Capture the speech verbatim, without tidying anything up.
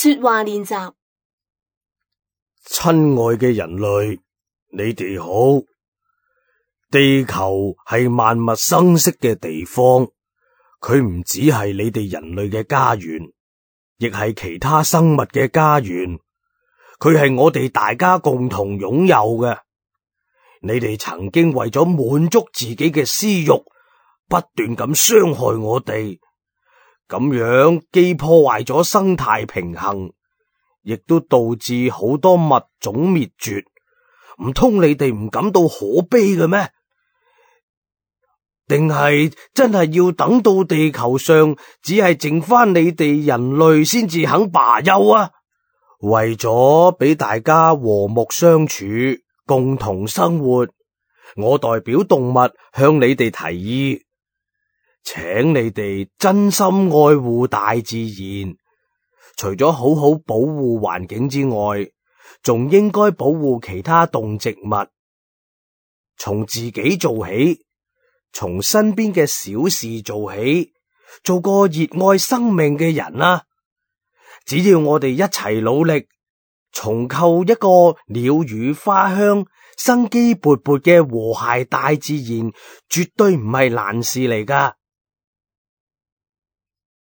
說話練習。親愛嘅人類，你哋好。地球係萬物生息嘅地方，佢唔只係你哋人類嘅家園，亦係其他生物嘅家園。佢係我哋大家共同擁有嘅。你哋曾經為咗滿足自己嘅私欲，不斷咁傷害我哋，咁樣既破壞咗生態平衡，亦都導致好多物種滅絕。唔通你哋唔感到可悲嘅咩？定係真係要等到地球上只係剩翻你哋人類先至肯罷休啊？為咗俾大家和睦相處，共同生活，我代表動物向你哋提議，請你哋真心愛護大自然，除咗好好保護環境之外，仲應該保護其他動植物。從自己做起，從身邊嘅小事做起，做個熱愛生命嘅人啊！只要我哋一齊努力，重構一個鳥語花香、生機勃勃嘅和諧大自然，絕對唔係難事嚟㗎。